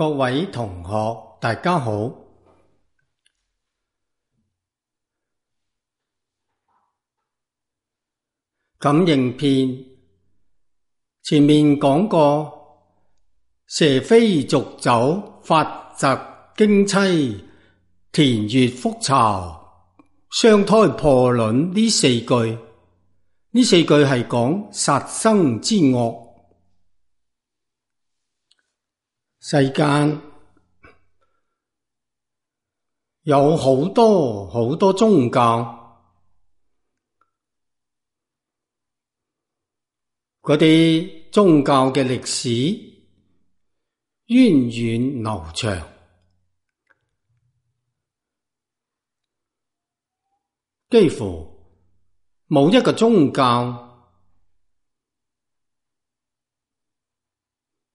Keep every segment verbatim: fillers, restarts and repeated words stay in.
各位同學，大家好。感應篇前面講過，蛇飛濁酒，發澤荊棲，田穴復巢，雙胎破卵呢四句。呢四句係講殺生之惡。世間有好多好多宗教，嗰啲宗教嘅歷史源遠流長，幾乎冇一個宗教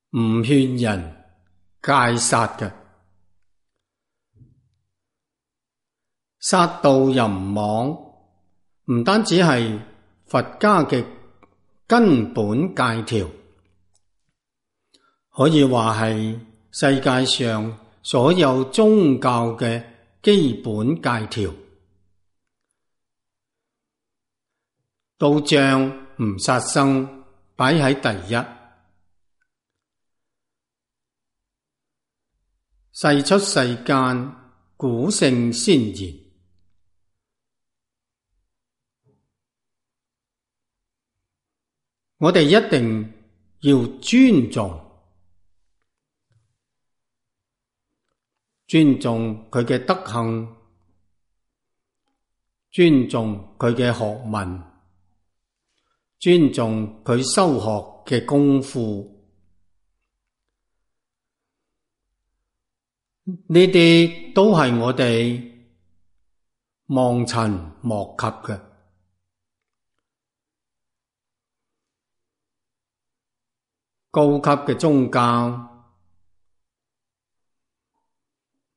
唔勸人戒殺嘅。殺盜淫妄唔單止係佛家嘅根本戒條，可以話係世界上所有宗教嘅基本戒條。都將唔殺生擺喺第一。世出世間，古聖先言，我哋一定要尊重，尊重佢嘅德行，尊重佢嘅學問，尊重佢修學嘅功夫。呢啲都係我哋望塵莫及嘅。高級嘅宗教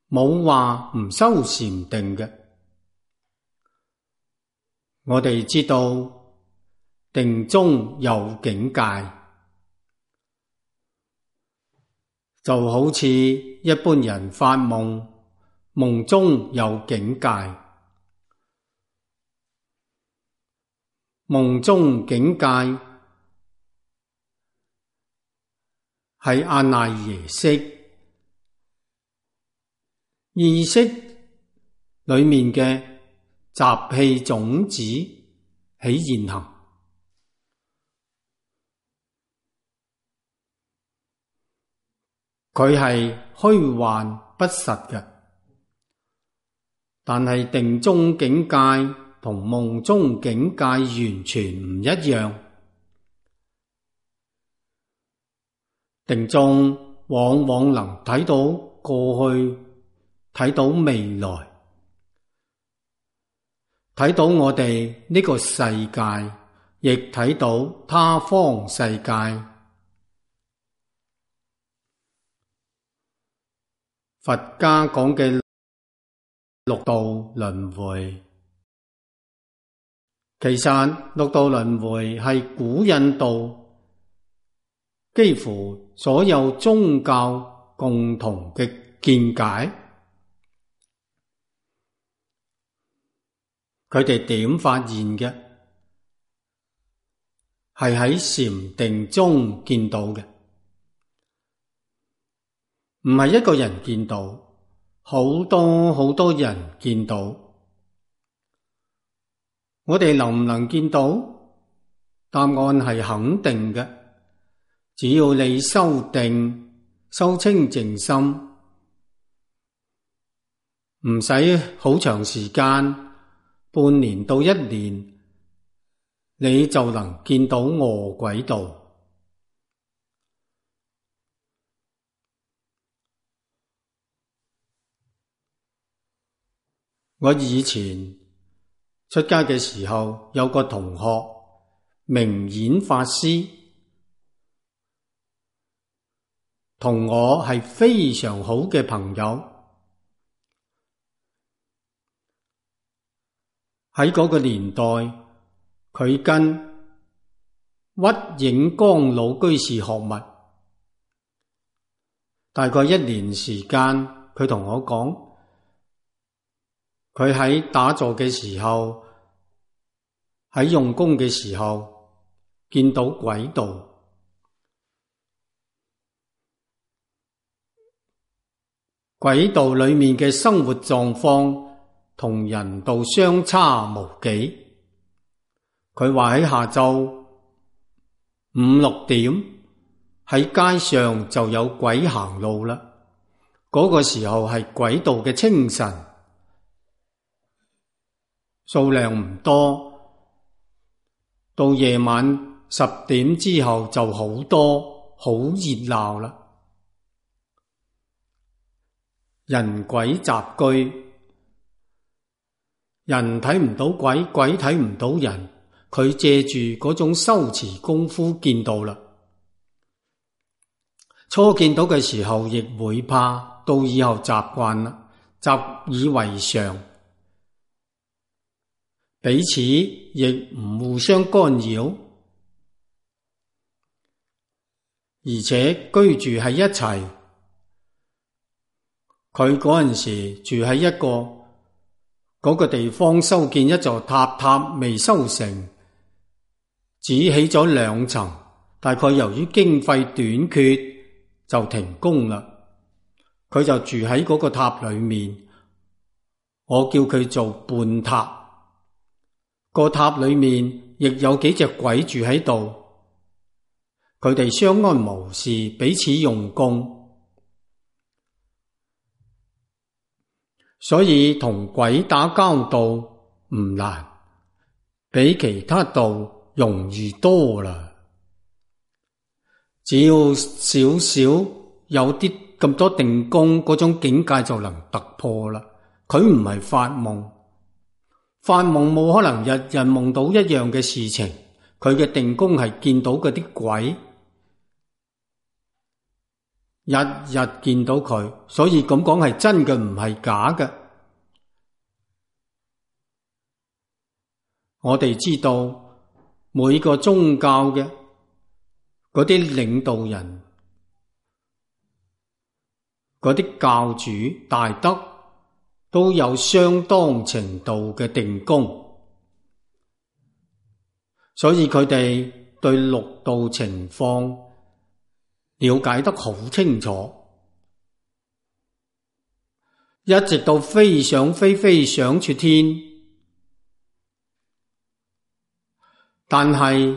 冇話唔修禪定嘅。我哋知道定中有境界，就好似一般人發夢，夢中有境界。夢中境界係阿賴耶識，意識裏面嘅習氣種子起現行。佢係虛幻不實嘅，但係定中境界同夢中境界完全唔一樣。定中往往能睇到過去，睇到未來，睇到我哋呢個世界，亦睇到他方世界。佛家講嘅六道輪迴，其實六道輪迴係古印度幾乎所有宗教共同嘅見解。佢哋點發現嘅？係喺禪定中見到嘅。唔係一個人見到，好多好多人見到。我哋能唔能見到？答案係肯定嘅。只要你修定，修清淨心，唔使好長時間，半年到一年，你就能見到餓鬼道。我以前出家嘅時候，有個同學明演法師，同我係非常好嘅朋友。喺嗰個年代，佢跟屈影光老居士學密，大概一年時間，佢同我講，佢喺打坐嘅時候，喺用功嘅時候，見到軌道。軌道裏面嘅生活狀況同人道相差無幾。佢話喺下晝五六點喺街上就有鬼行路啦。嗰個時候係軌道嘅清晨，數量唔多。到夜晚十點之後就好多，好熱鬧啦。人鬼雜居，人睇唔到鬼，鬼睇唔到人。佢借住嗰種修持功夫見到啦。初見到嘅時候亦會怕，到以後習慣啦，習以為常，彼此亦唔互相干擾，而且居住喺一齊。佢嗰陣時住喺一個嗰個地方，修建一座塔，塔未修成，只起咗兩層，大概由於經費短缺就停工啦。佢就住喺嗰個塔裏面，我叫佢做半塔。個塔裏面亦有幾隻鬼住喺度，佢哋相安無事，彼此用功。所以同鬼打交道唔難，比其他道容易多啦。只要少少有啲咁多定功，嗰種境界就能突破啦。佢唔係發夢，發夢冇可能日日夢到一樣嘅事情。佢嘅定功係見到嗰啲鬼，日日見到佢，所以咁講係真嘅，唔係假嘅。我哋知道每個宗教嘅嗰啲領導人、嗰啲教主大德都有相當程度嘅定功，所以佢哋對六道情況了解得好清楚，一直到飛上飛飛上出天。但係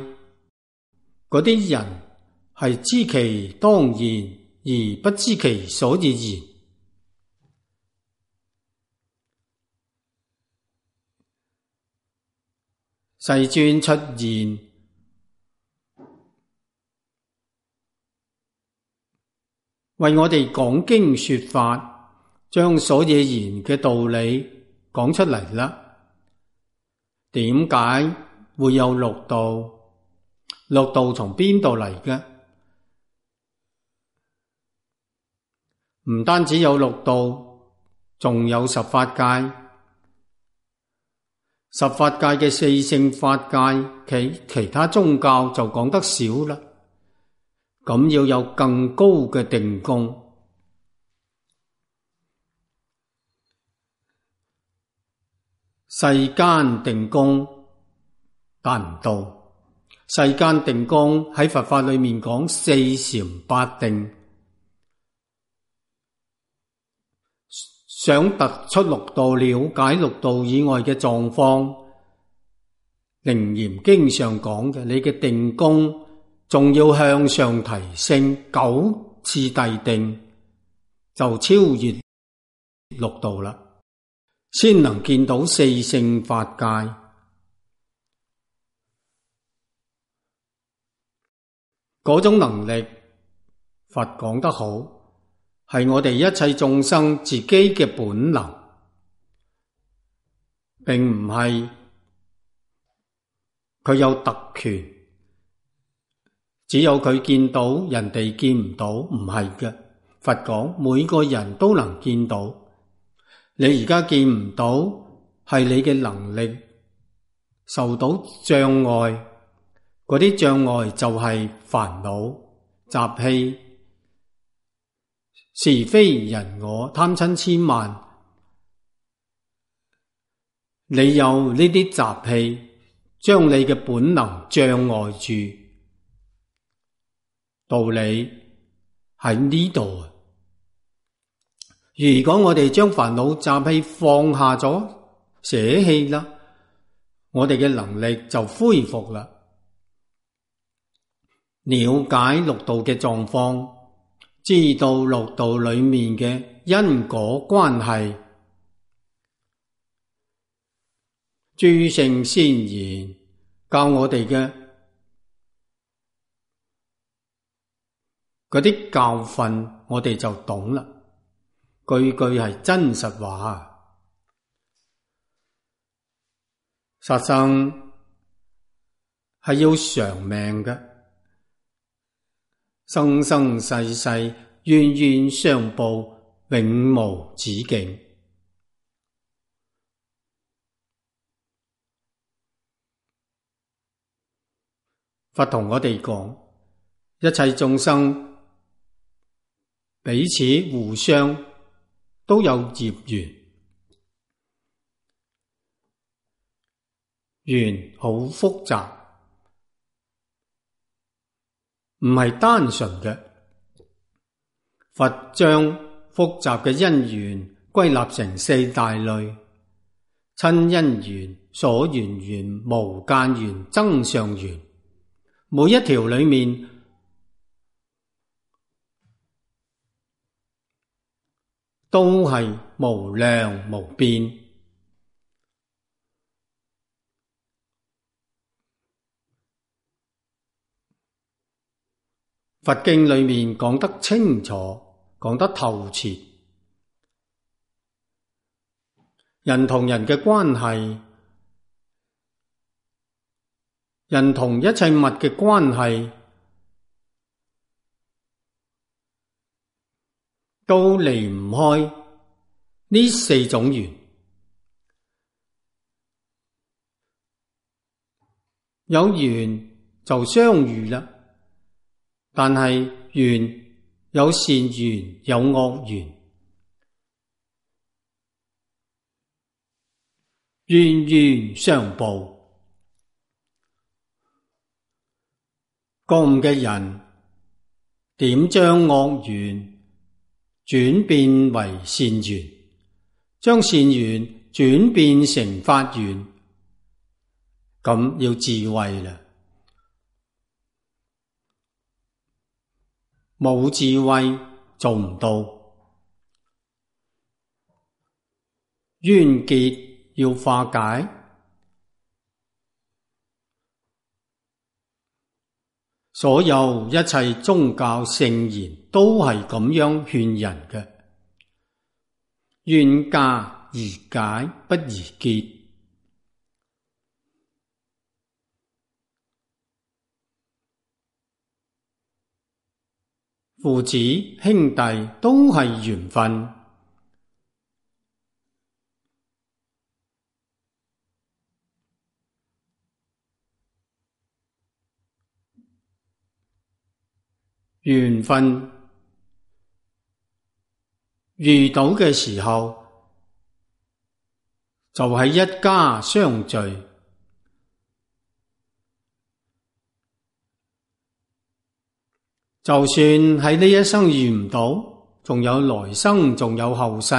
嗰啲人係知其當然而不知其所以然。世尊出現，為我哋講經說法，將所以然嘅道理講出嚟啦。點解會有六道？六道從邊度嚟嘅？唔單止有六道，仲有十法界。十法界嘅四聖法界，其其他宗教就講得少啦。咁要有更高嘅定功。世間定功達唔到，世間定功喺佛法裏面講四禪八定，想突出六道，了解六道以外嘅狀況，楞嚴經上講嘅，你嘅定功仲要向上提升九次第定，就超越六道啦，先能見到四聖法界。嗰種能力，佛講得好，係我哋一切眾生自己嘅本能，並唔係佢有特權，只有佢見到，人哋見唔到，唔係嘅。佛講每個人都能見到，你而家見唔到，係你嘅能力受到障礙，嗰啲障礙就係煩惱、習氣、是非人我貪嗔痴慢，你有呢啲習氣，將你嘅本能障礙住。道理喺呢度。如果我哋將煩惱習氣放下咗，捨棄啦，我哋嘅能力就恢復啦。了解六道嘅狀況，知道六道裏面嘅因果關係，諸聖先賢教我哋嘅嗰啲教訓，我哋就懂啦。句句係真實話。殺生係要長命嘅，生生世世冤冤相報，永無止境。佛同我哋講，一切眾生彼此互相都有業緣，緣好複雜，唔係單純嘅。佛將複雜嘅因緣歸納成四大類：親因緣、所緣緣、無間緣、增上緣。每一條裏面都係無量無邊。佛經裏面講得清楚，講得透徹。人同人嘅關係，人同一切物嘅關係，都離唔開呢四種緣。有緣就相遇啦，但係緣有善緣有惡緣，冤冤相報。覺悟嘅人點將惡緣轉變為善緣，將善緣轉變成法緣，咁要智慧啦。冇智慧做唔到。冤結要化解，所有一切宗教聖言都係咁樣勸人嘅。冤家宜解不宜結。父子兄弟都係緣分，緣分遇到嘅時候就係一家相聚。就算喺呢一生遇唔到，仲有來生，仲有後世。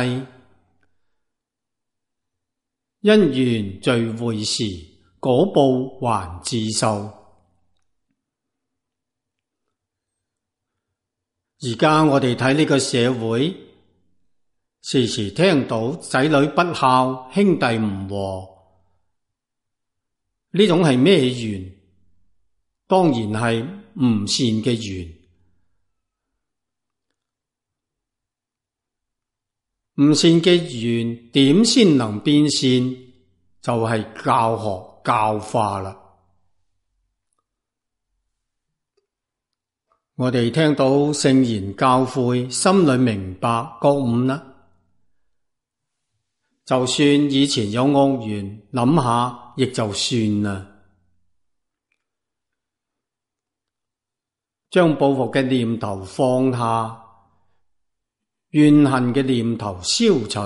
因緣聚會時，果報還自受。而家我哋睇呢個社會，時時聽到仔女不孝，兄弟唔和，呢種係咩緣？當然係唔善嘅緣。唔善嘅緣點先能變善？就係教學教化啦。我哋聽到聖言教誨，心裏明白覺悟啦。就算以前有惡緣，諗下亦就算啦。將報復嘅念頭放下，怨恨嘅念頭消除，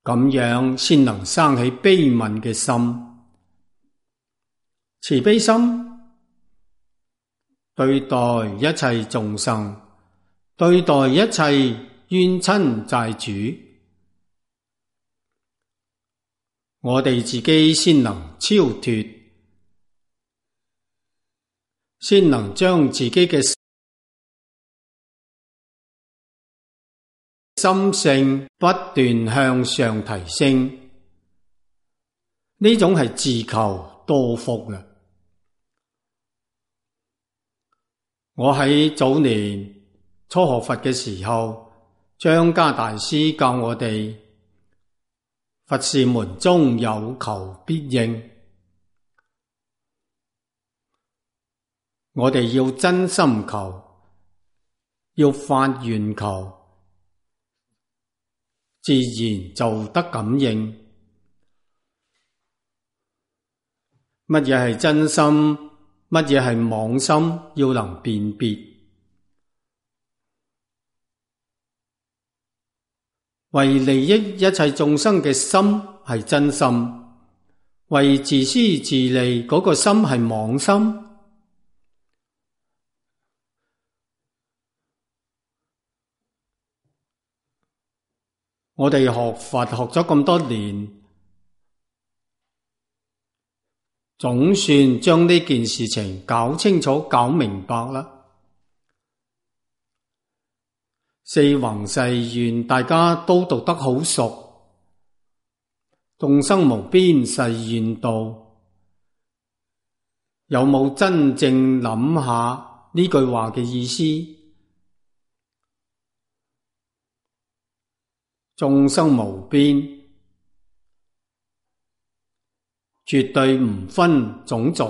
咁樣先能生起悲憫嘅心。慈悲心對待一切眾生，對待一切冤親債主，我哋自己先能超脫，先能將自己嘅心性不斷向上提升，呢種係自求多福嘅。我喺早年初學佛嘅時候，張家大師教我哋，佛事門中有求必應，我哋要真心求，要發願求，自然就得感應。乜嘢係真心，乜嘢係妄心，要能辨別。為利益一切眾生嘅心係真心，為自私自利嗰個心係妄心。我哋學佛學咗咁多年，總算將呢件事情搞清楚搞明白啦。四弘誓願大家都讀得好熟，眾生無邊誓願度，有冇真正諗下呢句話嘅意思？眾生無邊，絕對唔分種族，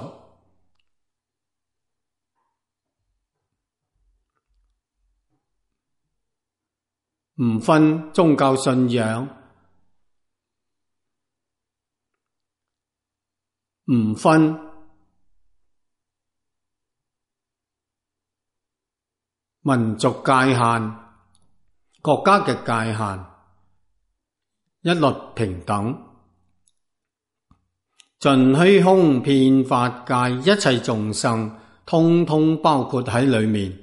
唔分宗教信仰，唔分民族界限、國家嘅界限，一律平等。盡虛空遍法界，一切眾生通通包括喺裏面。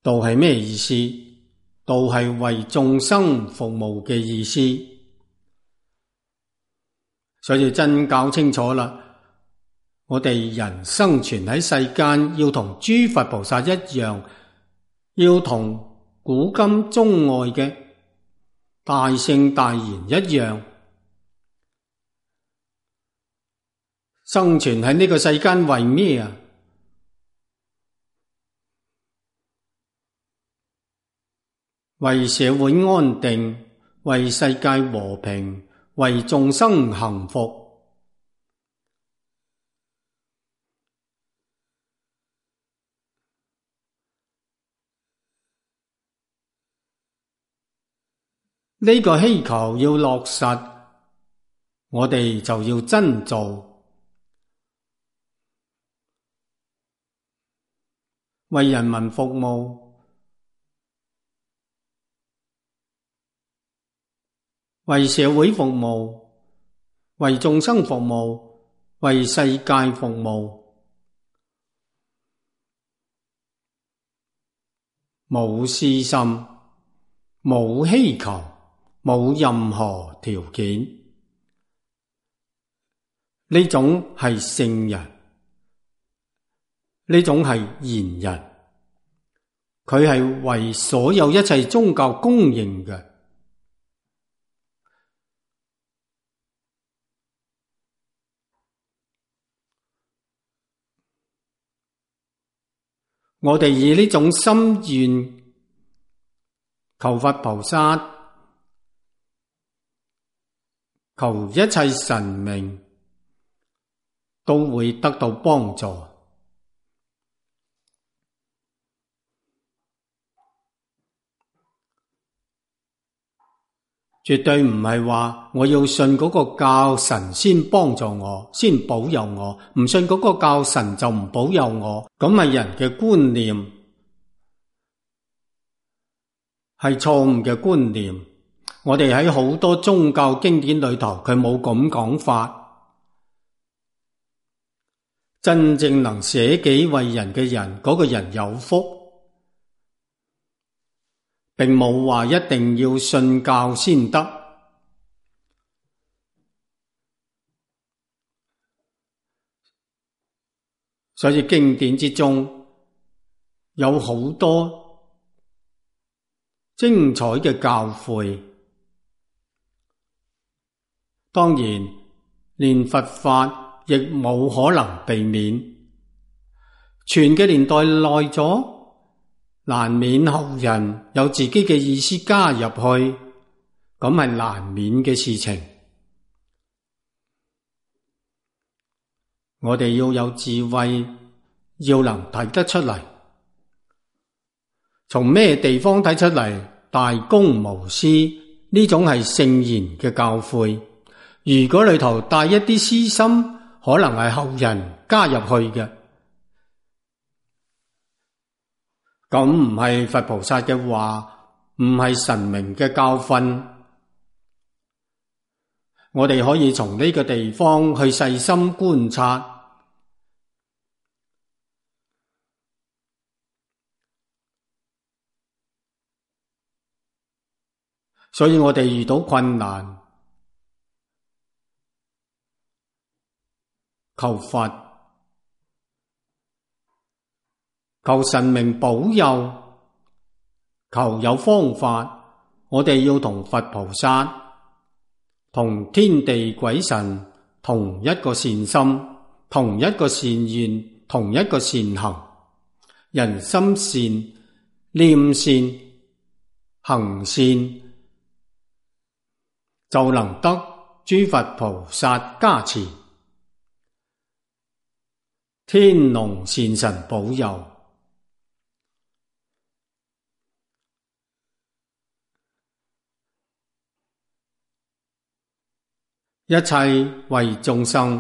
道係咩意思？道係為眾生服務嘅意思。所以真搞清楚啦，我哋人生存喺世間，要同諸佛菩薩一樣，要同古今中外嘅大聖大賢一樣，生存喺呢個世間為咩啊？為社會安定，為世界和平，為眾生幸福。呢個希求要落實，我哋就要真做，為人民服務，為社會服務，為眾生服務，為世界服務，冇私心，冇希求，冇任何條件，呢種係聖人，呢種係賢人，佢係為所有一切宗教公認嘅。我哋以呢種心願求佛菩薩，求一切神明都會得到幫助。絕對唔係話我要信嗰個教神先幫助我，先保佑我，唔信嗰個教神就唔保佑我，咁係人嘅觀念，係錯誤嘅觀念。我哋喺好多宗教經典裏頭，佢冇咁講法。真正能捨己為人嘅人，嗰個人有福，並冇話一定要信教先得。所以經典之中有好多精彩嘅教誨。當然，連佛法亦冇可能避免，傳嘅年代耐咗，難免後人有自己嘅意思加入去，咁係難免嘅事情。我哋要有智慧，要能睇得出嚟，從咩地方睇出嚟大公無私呢種係聖賢嘅教誨。如果裏頭帶一啲私心，可能係後人加入去嘅，咁唔係佛菩薩嘅話，唔係神明嘅教訓。我哋可以從呢個地方去細心觀察，所以我哋遇到困難，求佛，求神明保佑，求有方法。我哋要同佛菩薩、同天地鬼神同一個善心，同一個善願，同一個善行。人心善，念善，行善，就能得諸佛菩薩加持，天龍善神保佑，一切為眾生，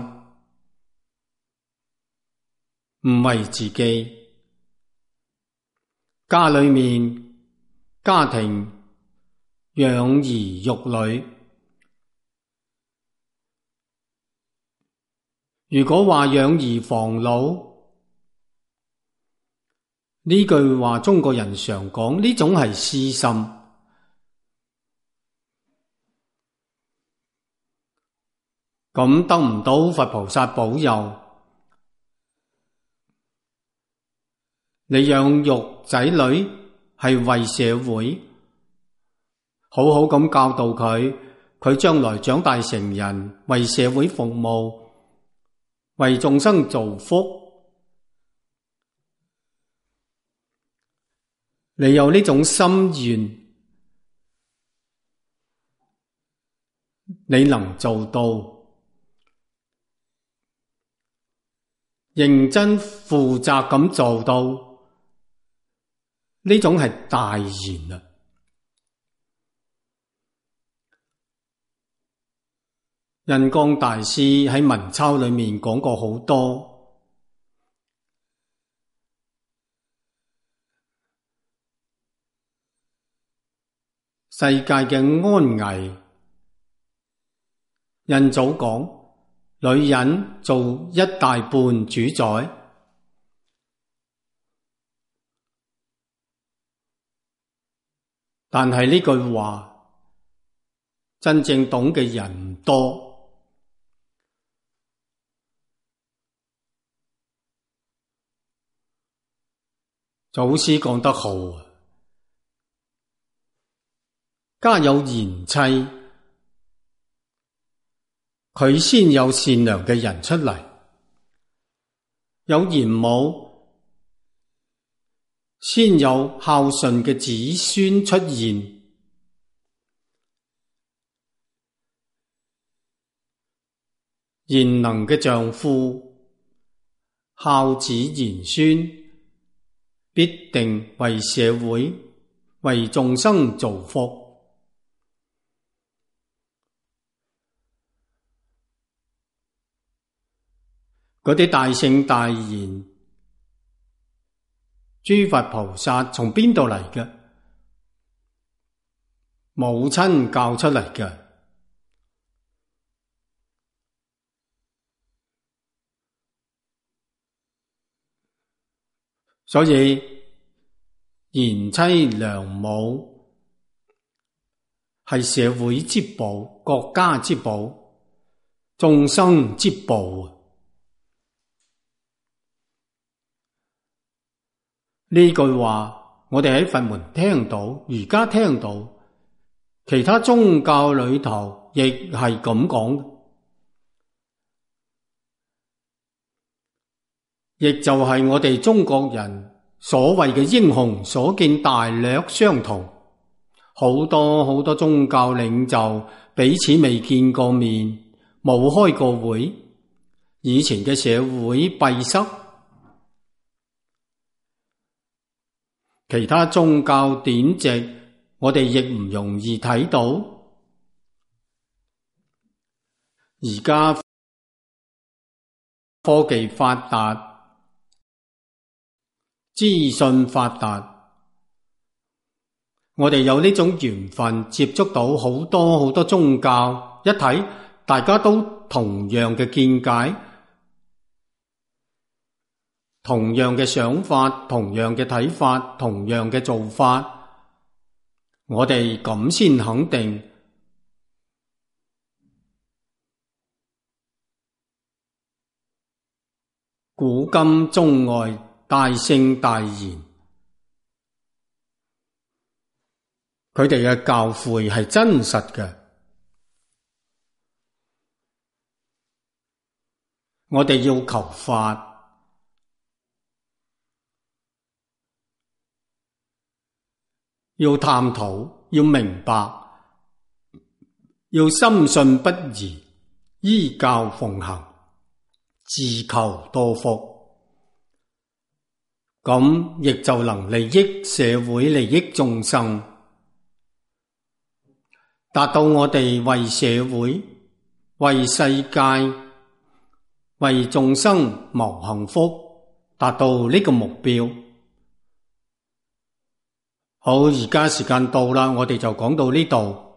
唔為自己。家裏面，家庭養兒育女，如果話養兒防老，呢句話中國人常講，呢種係私心。咁得唔到佛菩薩保佑，你養育仔女係為社會，好好咁教導佢，佢將來長大成人，為社會服務，為眾生造福。你有呢種心願，你能做到，認真負責咁做到，呢種係大賢啊！印光大師喺文鈔裏面講過好多，世界嘅安危。印祖講，女人做一大半主宰，但係呢句話真正懂嘅人唔多。祖師講得好，家有賢妻，佢先有善良嘅人出嚟；有賢母，先有孝順嘅子孫出現；賢能嘅丈夫，孝子賢孫，必定為社會、為眾生造福。嗰啲大聖大賢、諸佛菩薩從邊度嚟嘅？母親教出嚟嘅。所以賢妻良母係社會之寶、國家之寶、眾生之寶。呢句話我哋喺佛門聽到，而家聽到，其他宗教裏頭亦係咁講，亦就係我哋中國人所謂嘅英雄所見大略相同。好多好多宗教領袖彼此未見過面，冇開過會，以前嘅社會閉塞，其他宗教典籍我哋亦唔容易睇到。而家科技發達，資訊發達，我哋有呢種緣分接觸到好多好多宗教，一睇大家都同樣嘅見解，同樣嘅想法，同樣嘅睇法，同樣嘅做法，我哋咁先肯定古今中外大聖大賢，佢哋嘅教誨係真實嘅。我哋要求法，要探討，要明白，要深信不疑，依教奉行，自求多福。咁亦就能利益社會，利益眾生，達到我哋為社會、為世界、為眾生謀幸福，達到呢個目標。好，而家時間到啦，我哋就講到呢度。